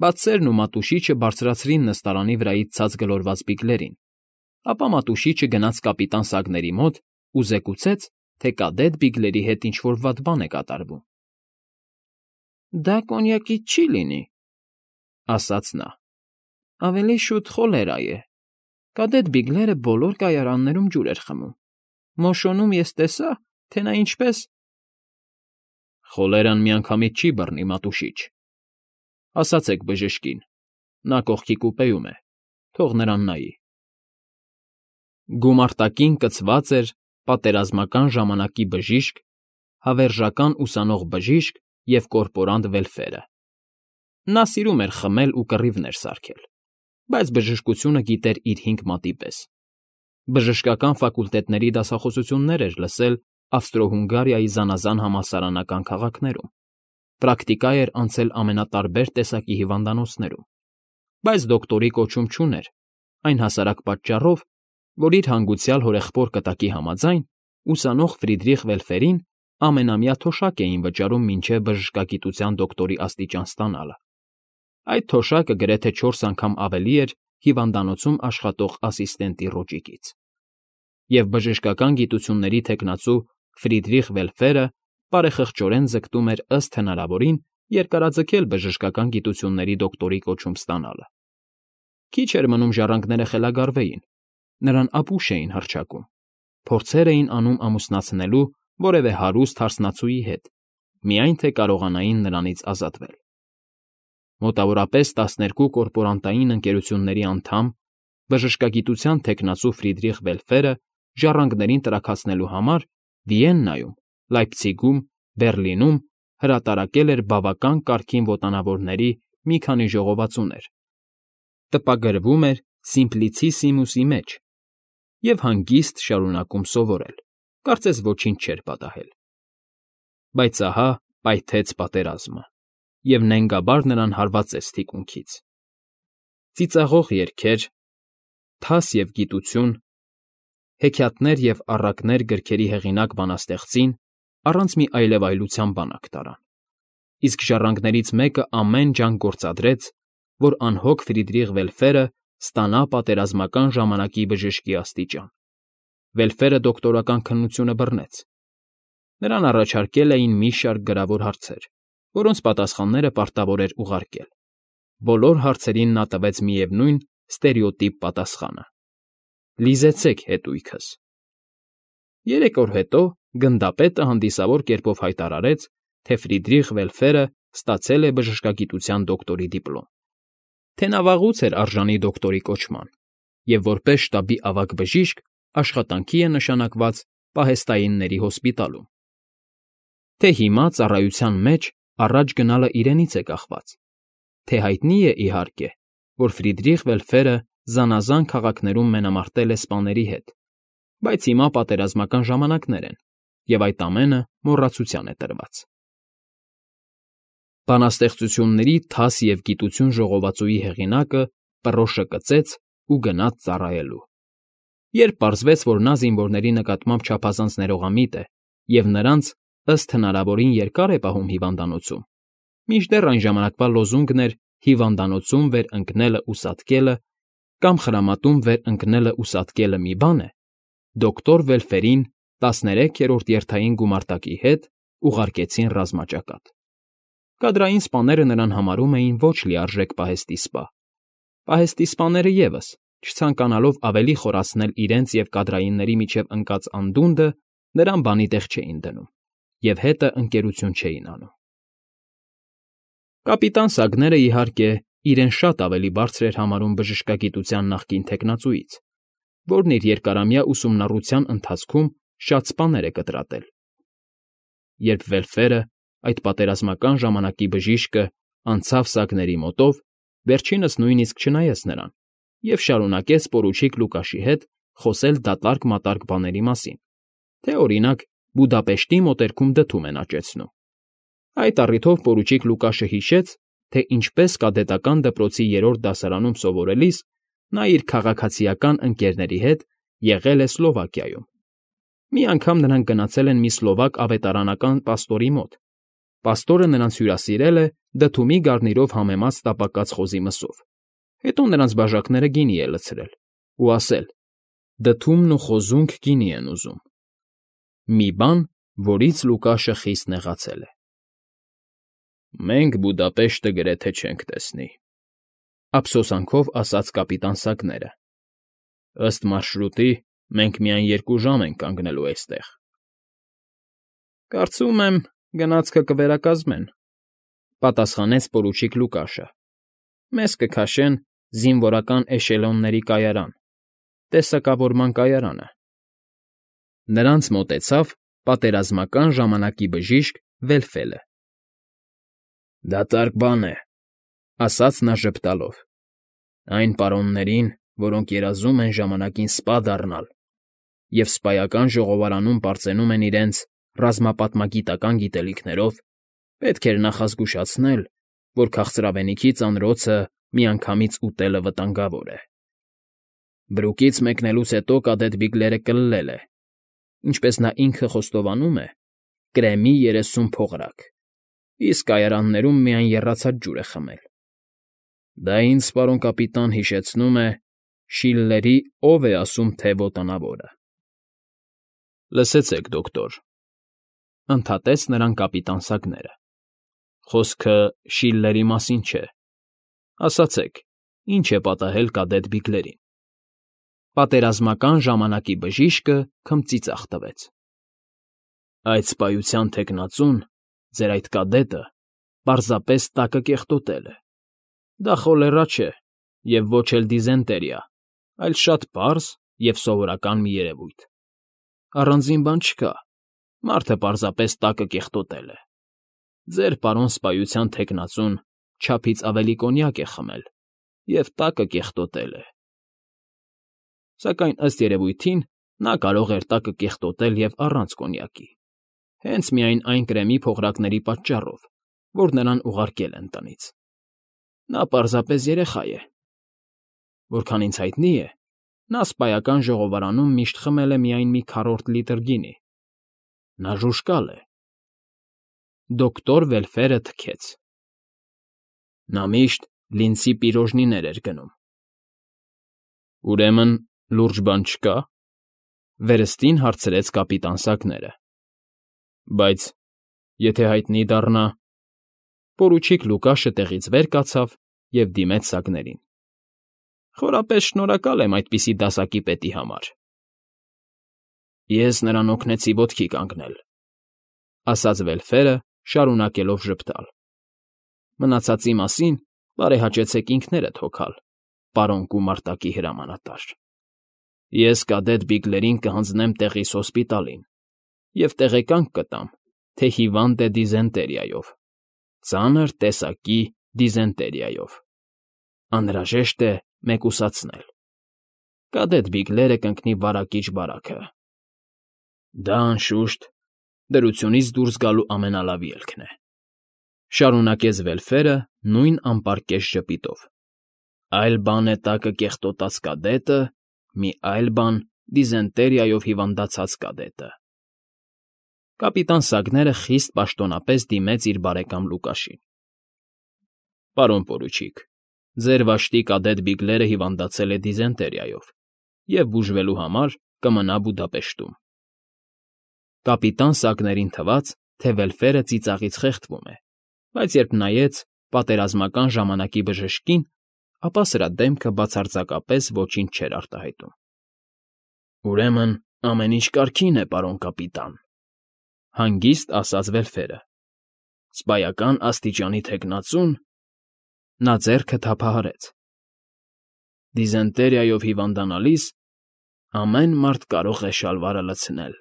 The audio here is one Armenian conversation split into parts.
Բացերն ու Մատուշիչը բարձրացրին նստարանի վրայից ցած գլորված բիգլերին, ապա Մատուշիչը գնաց կապիտան Սագների մոտ ու զեկուցեց, թե կադետ Բիգլերի հետ ինչ֊որ վատ բան է կատարվում։ ֊ Դա կոնյակից չի լինի,֊ ասաց նա,֊ ավելի շուտ խոլերա է. կադետ Բիգլերը բոլոր կայարաններում ջուր էր խմում, Մոշոնում ես տեսա, թե նա ինչպես… Խոլերան միանգամից չի բռնի, Մատուշիչ, ասացեք բժշկին, նա կողքի կուպեում է, թող նրան նայի… Գումարտակին կցված էր պատերազմական ժամանակի բժիշկ, հավերժական ուսանող բժիշկ և կորպորանտ Վելֆերը. նա սիրում էր խմել ու կռիվներ սարքել, բայց բժշկությունը գիտեր իր 5 մատի պես. բժշկական ֆակուլտետների դասախոսություններ էր լսել Ավստրո֊Հունգարիայի զանազան համալսարանական քաղաքներում, պրակտիկա էր անցել ամենատարբեր տեսակի հիվանդանոցներում, բայց դոկտորի կոչում չուներ, այն հասարակ պատճառով, որ իր հանգուցյալ հորեղբոր կտակի համաձայն ուսանող Ֆրիդրիխ Վելֆերին ամենամյա թոշակ էին վճարում մինչև բժշկագիտության դոկտորի աստիճան ստանալը։ Այդ թոշակը գրեթե 4 անգամ ավելի էր հիվանդանոցում աշխատող ասիստենտի ռոճիկից։ Եվ բժշկական գիտությունների թեկնածու Ֆրիդրիխ Վելֆերը բարեխղճորեն ձգտում էր ըստ հնարավորին երկարաձգել բժշկական գիտությունների դոկտորի կոչում ստանալը։ Քիչ էր մնում ժառանգները խելագարվեին, նրան ապուշ էին հռչակում, փորձեր էին անում ամուսնացնելու որևէ հարուստ հարսնացուի հետ, միայն թե կարողանային նրանից ազատվել։ Մոտավորապես 12 կորպորանտային ընկերությունների անդամ, բժշկագիտության թեկնածու Ֆրիդրիխ Վելֆերը ժառանգներին տրաքացնելու համար Վիեննայում, Լայպցիգում, Բեռլինում հրատարակել էր բավական կարգին ոտանավորների մի քանի ժողովածուներ, տպագրվում էր Սիմպլիցիսիմուսի մեջ և հանգիստ շարունակում սովորել, կարծես ոչինչ չէր պատահել։ Բայց ահա պայթեց պատերազմը, և նենգաբար նրան հարվածեց թիկունքից։ Ծիծաղող երգեր, թաս և գիտություն, հեքիաթներ և առակներ գրքերի հեղինակ բանաստեղծին առանց մի այլևայլության բանակ տարան, իսկ ժառանգներից մեկը ամեն ջանք գործադրեց, որ անհոգ Ֆրիդրիխ Վելֆերը ստանա պատերազմական ժամանակի բժշկի աստիճան։ Վելֆերը դոկտորական քննությունը բռնեց։ Նրան առաջարկել էին մի շարք գրավոր հարցեր, որոնց պատասխանները պարտավոր էր ուղարկել։ Բոլոր հարցերին նա տվեց միևնույն ստերեոտիպ պատասխանը. «Լիզեցեք հետույքս»։ 3 օր հետո գնդապետը հանդիսավոր կերպով հայտարարեց, թե Ֆրիդրիխ Վելֆերը ստացել է բժշկագիտության դոկտորի դիպլոմ, թե նա վաղուց էր արժանի դոկտորի կոչման և որպես շտաբի ավագ բժիշկ աշխատանքի է նշանակված պահեստայինների հոսպիտալում, թե հիմա ծառայության մեջ առաջ գնալը իրենից է կախված, թե հայտնի է, իհարկե, որ Ֆրիդրիխ Վելֆերը զանազան քաղաքներում մենամարտել է սպաների հետ, բայց հիմա պատերազմական ժամանակներ են, և այդ ամենը մոռացության է տրված։ Բանաստեղծությունների թաս և գիտություն ժողովածուի հեղինակը պռոշը կծեց ու գնաց ծառայելու։ Երբ պարզվեց, որ նա զինվորների նկատմամբ չափազանց ներողամիտ է և նրանց ըստ հնարավորին երկար է պահում հիվանդանոցում, մինչդեռ այն ժամանակվա լոզունգն էր «հիվանդանոցում վեր ընկնելը ու սատկելը» կամ «խրամատում վեր ընկնելը ու սատկելը մի բան է», դոկտոր Վելֆերին 13-րդ երթային գումարտակի հետ ուղարկեցին ռազմաճակատ։ Կադրային սպաները նրան համարում էին ոչ լիարժեք պահեստի սպա։ Պահեստի սպաները ևս, չցանկանալով ավելի խորացնել իրենց և կադրայինների միջև ընկած անդունդը, նրան բանի տեղ չէին դնում և հետը ընկերություն չէին անում։ Կապիտան Սագները, իհարկե, իրեն շատ ավելի բարձր էր համարում բժշկագիտության նախկին թեկնածուից, որն իր երկարամյա ուսումնառության ընթացքում շատ սպաներ է կտրատել։ Երբ Վելֆերը, այդ պատերազմական ժամանակի բժիշկը, անցավ Սագների մոտով, վերջինս նույնիսկ չնայեց նրան և շարունակեց պորուչիկ Լուկաշի հետ խոսել դատարկ֊մատարկ բաների մասին, թե, օրինակ, Բուդապեշտի մոտերքում դդում են աճեցնում։ Այդ առիթով պորուչիկ Լուկաշը հիշեց, թե ինչպես կադետական դպրոցի 3-րդ դասարանում սովորելիս նա իր քաղաքացիական ընկերների հետ եղել է Սլովակիայում։ Մի անգամ նրանք գնացել են մի սլովակ ավետարանական պաստորի մոտ, Պաստորը նրանց հյուրասիրել է դդումի գարնիրով համեմած տապակած խոզի մսով, հետո նրանց բաժակները գինի է լցրել ու ասել. «Դդումն ու խոզունք գինի են ուզում»։ Մի բան, որից Լուկաշը խիստ նեղացել է։ «Մենք Բուդապեշտը գրեթե չենք տեսնի», ափսոսանքով ասաց կապիտան Սագները։ «Ըստ մարշրուտի, մենք միայն 2 ժամ ենք կանգնելու այստեղ»։ «Կարծում եմ, գնացքը կվերակազմեն», պատասխանեց պորուչիկ Լուկաշը։ «Մեզ կքաշեն զինվորական էշելոնների կայարան, տեսակավորման կայարանը»։ Նրանց մոտեցավ պատերազմական ժամանակի բժիշկ Վելֆելը։ «Դատարկ բան է,֊ ասաց նա ժպտալով,֊ այն պարոններին, որոնք երազում են ժամանակին սպա դառնալ և սպայական ժողովարանում պարծենում են իրենց ռազմապատմագիտական գիտելիքներով, պետք էր նախազգուշացնել, որ քաղցրավենիքի ծանրոցը միանգամից ուտելը վտանգավոր է։ Բրուկից մեկնելուց հետո կադետ Բիգլերը կլլել է, ինչպես նա ինքը խոստովանում է, կրեմի 30 փողրակ, իսկ կայարաններում միայն եռացած ջուր է խմել։ Դա ինձ, պարոն կապիտան, հիշեցնում է Շիլլերի «Ով է ասում, թե ոտանավորը»։ Լսեցեք, դոկտոր,֊ ընդհատեց նրան կապիտան Սագները, խոսքը Շիլլերի մասին չէ։ Ասացեք, ինչ է պատահել կադետ Բիգլերին։ Պատերազմական ժամանակի բժիշկը քմծիծաղ տվեց։ Այդ սպայության թեկնածուն, ձեր այդ կադետը, պարզապես տակը կեղտոտել է։ Դա խոլերա չէ և ոչ էլ դիզենտերիա, այլ շատ պարզ և սովորական մի երևույթ։ Առանձին բան չկա, մարդը պարզապես տակը կեղտոտել է։ Ձեր պարոն սպայության թեկնածուն չափից ավելի կոնյակ է խմել և տակը կեղտոտել է։ Սակայն ըստ երևույթին նա կարող էր տակը կեղտոտել և առանց կոնյակի, հենց միայն այն կրեմի փողրակների պատճառով, որ նրան ուղարկել են տնից։ Նա պարզապես երեխա է։ Որքան ինձ հայտնի է, նա սպայական ժողովարանում միշտ խմել է միայն մի քառորդ լիտր գինի։ Նա ժուժկալ է։ Դոկտոր Վելֆերը թքեց։ Նա միշտ լինցի պիրոժնիներ էր գնում։ Ուրեմն լուրջ բան չկա, վերստին հարցրեց կապիտան Սագները։ Բայց եթե հայտնի դառնա… Պորուչիկ Լուկաշը տեղից վեր կացավ և դիմեց Սագներին։ Խորապես շնորհակալ եմ այդպիսի դասակի պետի համար։ Ես նրան օգնեցի ոտքի կանգնել,֊ ասաց Վելֆերը, շարունակելով ժպտալ։ Մնացածի մասին բարեհաճեցեք ինքներդ հոգալ, պարոն գումարտակի հրամանատար։ Ես կադետ Բիգլերին կհանձնեմ տեղիս հոսպիտալին և տեղեկանք կտամ, թե հիվանդ է դիզենտերիայով, ծանր տեսակի դիզենտերիայով։ Անհրաժեշտ է մեկուսացնել։ Կադետ Բիգլերը կընկնի վարակիչ բարաքը։ Դա, անշուշտ, դրությունից դուրս գալու ամենալավ ելքն է,֊ շարունակեց Վելֆերը նույն անպարկեշտ ժպիտով։ Այլ բան է տակը կեղտոտած կադետը, մի այլ բան դիզենտերիայով հիվանդացած կադետը։ Կապիտան Սագները խիստ պաշտոնապես դիմեց իր բարեկամ Լուկաշին։ Պարոն պորուչիկ, ձեր վշտի կադետ Բիգլերը հիվանդացել է դիզենտերիայով և բուժվելու համար կմնա Բուդապեշտում։ Կապիտան Սագներին թվաց, թե Վելֆերը ծիծաղից խեղդվում է, բայց երբ նայեց պատերազմական ժամանակի բժշկին, ապա սրա դեմքը բացարձակապես ոչինչ չէր արտահայտում։ Ուրեմն ամեն ինչ կարգին է, պարոն կապիտան,֊ հանգիստ ասաց Վելֆերը։ Սպայական աստիճանի թեկնածուն… Նա ձեռքը թափահարեց։ Դիզենտերիայով հիվանդանալիս ամեն մարդ կարող է շալվարը լցնել։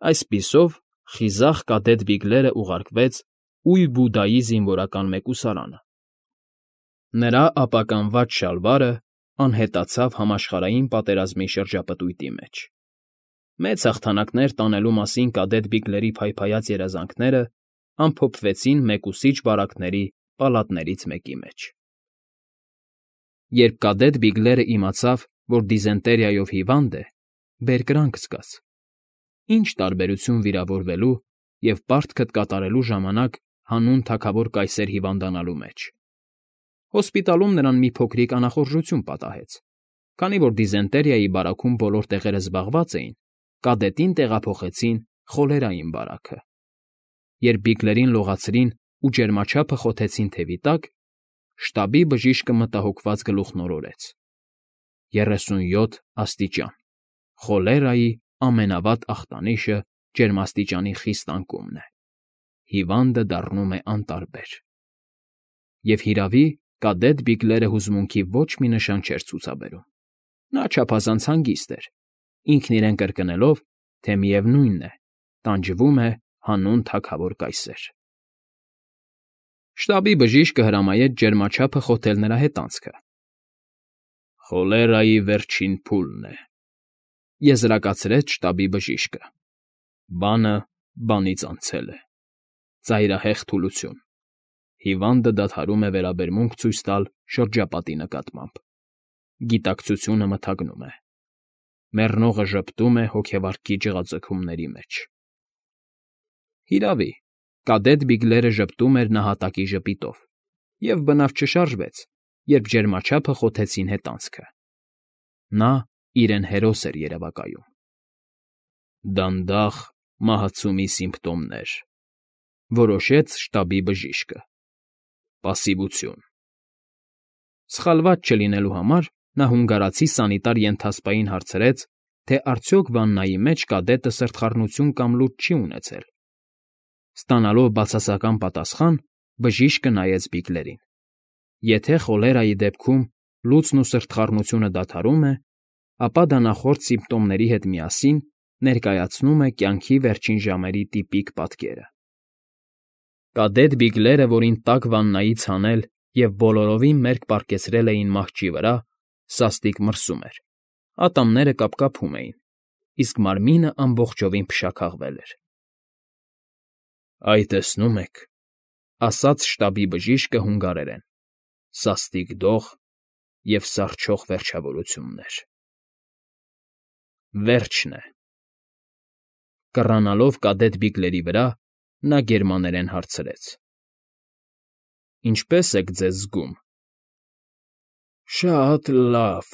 Այսպիսով խիզախ կադետ Բիգլերը ուղարկվեց Ույ֊Բուդայի զինվորական մեկուսարանը։ Նրա ապականված շալվարը անհետացավ համաշխարհային պատերազմի շրջապտույտի մեջ։ Մեծ հաղթանակներ տանելու մասին կադետ Բիգլերի փայփայած երազանքները ամփոփվեցին մեկուսիչ բարակների պալատներից մեկի մեջ։ Երբ կադետ Բիգլերը իմացավ, որ դիզենտերիայով հիվանդ է, բերկրանք զգաց։ Ինչ տարբերություն վիրավորվելու և պարտքդ կատարելու ժամանակ հանուն թագավոր կայսեր հիվանդանալու մեջ։ Հոսպիտալում նրան մի փոքրիկ անախորժություն պատահեց, քանի որ դիզենտերիայի բարաքում բոլոր տեղերը զբաղված էին, կադետին տեղափոխեցին խոլերային բարաքը։ Երբ Բիգլերին լողացրին ու ջերմաչափը խոթեցին թևի տակ, շտաբի բժիշկը մտահոգված գլուխնորորեց. 37 աստիճան, խոլերայի ամենավատ ախտանիշը ջերմաստիճանի խիստ անկումն է, հիվանդը դառնում է անտարբեր։ Եվ հիրավի, կադետ Բիգլերը հուզմունքի ոչ մի նշան չէր ցուցաբերում։ Նա չափազանց հանգիստ էր, ինքն իրեն կրկնելով, թե միևնույնն է, տանջվում է հանուն թագավոր կայսեր։ Շտաբի բժիշկը հրամայեց ջերմաչափը խոթել նրա հետանցքը։ Խոլերայի վերջին փուլն է, եզրակացրեց շտաբի բժիշկը։ Բանը բանից անցել է։ Ծայրահեղ թուլություն։ Հիվանդը դադարում է վերաբերմունք ցույց տալ շրջապատի նկատմամբ։ Գիտակցությունը մթագնում է։ Մեռնողը ժպտում է հոգեվարքի ջղաձգումների մեջ։ Հիրավի, կադետ Բիգլերը ժպտում էր նահատակի ժպիտով, և բնավ չշարժվեց, երբ ջերմաչափը խոթեցին հետանցքը։ Նա իրեն հերոս էր երևակայում։ Դանդաղ մահացումի սիմպտոմներ, որոշեց շտաբի բժիշկը։ Պասիվություն։ Սխալված չլինելու համար նա հունգարացի սանիտար ենթասպային հարցրեց, թե արդյոք վաննայի մեջ կադետը սրտխառնություն կամ լուր չի ունեցել։ Ստանալով բացասական պատասխան, բժիշկը նայեց Բիգլերին։ Եթե խոլերայի դեպքում լուծն ու սրտխառնությունը դադարում է, ապա դա նախորդ սիմպտոմների հետ միասին ներկայացնում է կյանքի վերջին ժամերի տիպիկ պատկերը։ Կադետ Բիգլերը, որին տաք վաննայից հանել և բոլորովին մերկ պառկեցրել էին մահճի վրա, սաստիկ մրսում էր, ատամները կապկապում էին, իսկ մարմինը ամբողջովին փշաքաղվել էր։ Այ տեսնում եք, ասաց շտաբի բժիշկը հունգարերեն, սաստիկ դող և սառչող վերջավորություններ։ Վերջն է։ Կռանալով կադետ Բիգլերի վրա, նա գերմաներեն հարցրեց. Ինչպե՞ս եք ձեզ զգում։ Շատ լավ,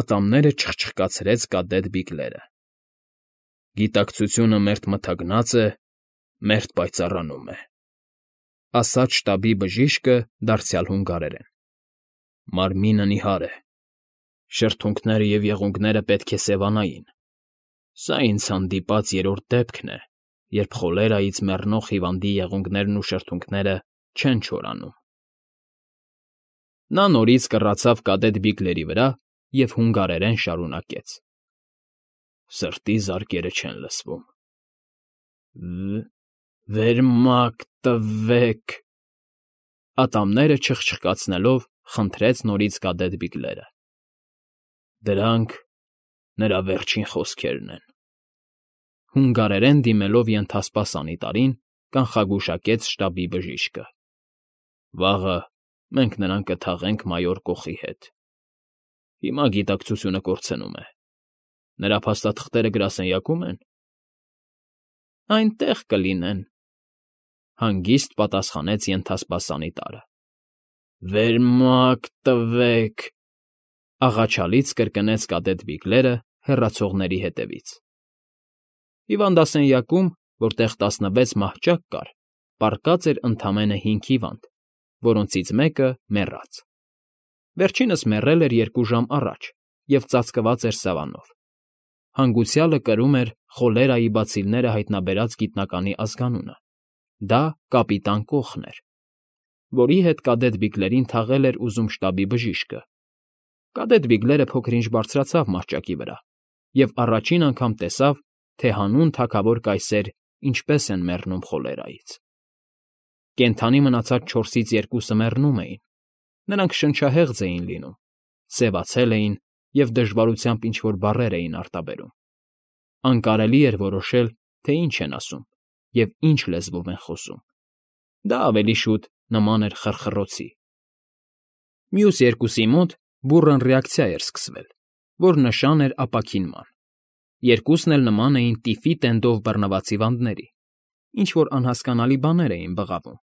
ատամները չխչխկացրեց կադետ Բիգլերը։ Գիտակցությունը մերթ մթագնած է, մերթ պայծառանում է, ասաց շտաբի բժիշկը դարձյալ հունգարերեն։ Մարմինը նիհար է, շրթունքները և եղունգները պետք է սևանային։ Սա ինձ հանդիպած երրորդ դեպքն է, երբ խոլերայից մեռնող հիվանդի եղունգներն ու շրթունքները չեն չորանում։ Նա նորից կռացավ կադետ Բիգլերի վրա և հունգարերեն շարունակեց. Սրտի զարկերը չեն լսվում։ Վերմակ տվեք, ատամները չխչխկացնելով խնդրեց նորից կադետ Բիգլերը։ Դրանք նրա վերջին խոսքերն են։ Հունգարերեն դիմելով ենթասպա սանիտարին, կանխագուշակեց շտաբի բժիշկը։ Վաղը մենք նրան կթաղենք մայոր Կոխի հետ։ Հիմա գիտակցությունը կորցնում է։ Նրա փաստաթղթերը գրասենյակո՞ւմ են։ Այնտեղ կլինեն, հանգիստ պատասխանեց ենթասպա սանիտարը։ Վերմակ տվեք, աղաչալից կրկնեց կադետ Բիգլերը հեռացողների հետևից։ Հիվանդասենյակում, որտեղ 16 մահճակ կար, պառկած էր ընդամենը 5 հիվանդ, որոնցից մեկը մեռած։ Վերջինս մեռել էր 2 ժամ առաջ և ծածկված էր սավանով։ Հանգուցյալը կրում էր խոլերայի բացիլները հայտնաբերած գիտնականի ազգանունը։ Դա կապիտան Կոխն էր, որի հետ կադետ Բիգլերին թաղել էր ուզում շտաբի բժիշկը։ Կադետ Բիգլերը փոքր-ինչ բարձրացավ մահճակի վրա և առաջին անգամ տեսավ, թե հանուն թագավոր կայսեր ինչպես են մեռնում խոլերայից։ Կենդանի մնացած 4-ից 2-ը մեռնում էին։ Նրանք շնչահեղձ էին լինում, սևացել էին և դժվարությամբ ինչ-որ բառեր էին արտաբերում։ Անկարելի էր որոշել, թե ինչ են ասում և ինչ լեզվով են խոսում։ Դա ավելի շուտ նման էր խռխռոցի։ Մյուս երկուսի մոտ բուռն ռեակցիա էր սկսվել, որ նշան էր ապաքինման։ Երկուսն էլ նման էին տիֆի տենդով բռնված հիվանդների։ ինչ-որ անհասկանալի բաներ էին բղավում,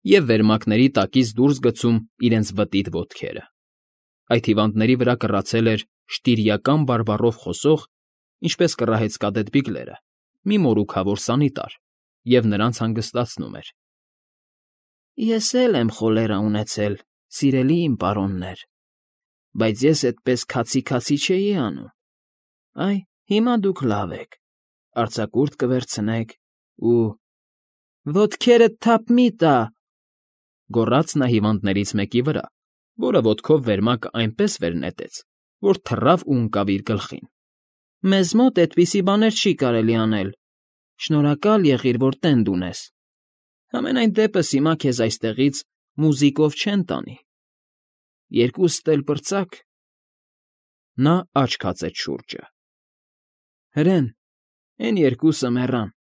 և վերմակների տակից դուրս գցում իրենց վտիտ ոտքերը։ Այդ հիվանդների վրա կռացել էր շտիրիական բարբառով խոսող, ինչպես կռահեց կադետ Բիգլերը, մի մորուքավոր սանիտար, և նրանց հանգստացնում էր. «Ես էլ եմ խոլերա ունեցել, սիրելի իմ պարոններ, բայց ես էդպես քացի չէի անում։ Այ, հիմա դուք լավ եք, արձակուրդ կվերցնեք ու… ոտքերդ թափ մի՛ տա…» գոռաց նա հիվանդներից մեկի վրա, որը ոտքով վերմակը այնպես վեր նետեց, որ թռավ ու ընկավ իր գլխին։ «Մեզ մոտ էդպիսի բաներ չի կարելի անել, շնորհակալ եղիր, որ տենդ ունես, համենայն դեպս հիմա քեզ այստեղից մուզիկով չեն տանի, երկուսդ էլ պրծաք…» Նա աչք հացեց շուրջը։ «Հրեն, էն երկուսը մեռան,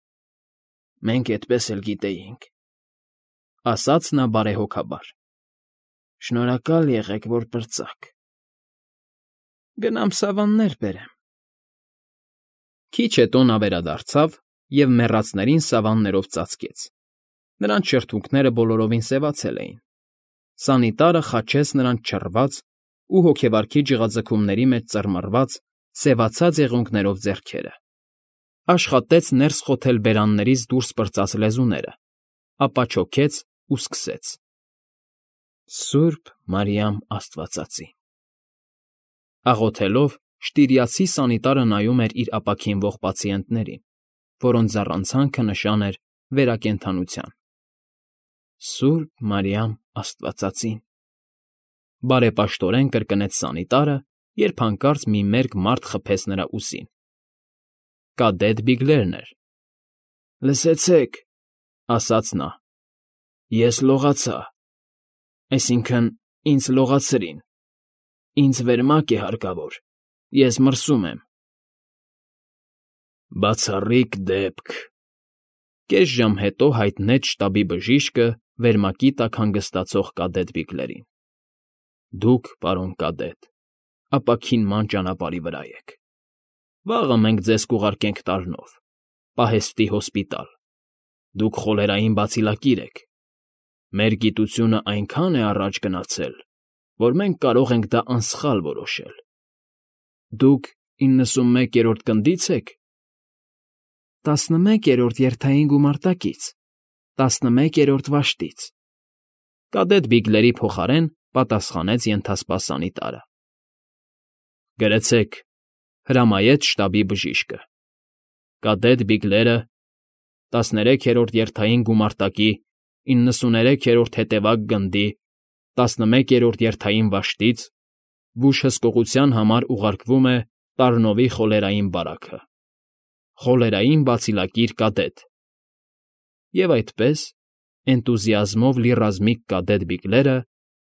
մենք էդպես էլ գիտեինք…֊ ասաց նա բարեհոգաբար։ Շնորհակալ եղեք, որ պրծաք… Գնամ սավաններ բերեմ»։ Քիչ հետո նա վերադարձավ և մեռածներին սավաններով ծածկեց։ Նրանց շրթունքները բոլորովին սևացել էին։ Սանիտարը խաչեց նրանց չռված ու հոգեվարքի ջղաձգումների մեջ ծռմռված, սևացած եղունգներով ձեռքերը, աշխատեց ներս խոթել բերաններից դուրս պրծած լեզուները, ապա չոքեց ու սկսեց. «Սուրբ Մարիամ Աստվածածի…» Աղոթելով, շտիրիացի սանիտարը նայում էր իր ապաքինվող պացիենտներին, որոնց ձառանցանքը նշան էր վերակենդանության։ «Սուրբ Մարիամ Աստվածածին…» բարեպաշտորեն կրկնեց սանիտարը, երբ հանկարծ մի մերկ մարդ խփեց նրա ուսին։ Կադետ Բիգլերն էր։ «Լսեցեք…֊ ասաց նա…֊ Ես լողացա, այսինքն՝ ինձ լողացրին, ինձ վերմակ է հարկավոր, ես մրսում եմ»։ «Բացառիկ դեպք…֊ կես ժամ հետո հայտնեց շտաբի բժիշկը վերմակի տակ հանգստացող կադետ Բիգլերին։ Դուք, պարոն կադետ, ապաքինման ճանապարհի վրա եք։ Վաղը մենք ձեզ կուղարկենք Տարնով, պահեստի հոսպիտալ։ Դուք խոլերային բացիլակիր եք։ Մեր գիտությունն այնքան է առաջ գնացել, որ մենք կարող ենք դա անսխալ որոշել։ Դուք 91-րդ գնդի՞ց եք։ 11-րդ երթային գումարտակից, 11-րդ վաշտից…֊ Կադետ Բիգլերի փոխարեն պատասխանեց ենթասպա սանիտարը։ Գրեցեք…֊ հրամայեց շտաբի բժիշկը։ Կադետ Բիգլերը 13-րդ երթային գումարտակի 93-րդ հետևակ գնդի 11-րդ երթային վաշտից զգույշ հսկողության համար ուղարկվում է Տարնովի խոլերային բարակը։ Խոլերային բացիլակիր կադետ… Եվ այդպես, էնտուզիազմով լի ռազմիկ կադետ Բիգլերը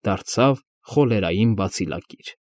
դարձավ խոլերային բացիլակիր։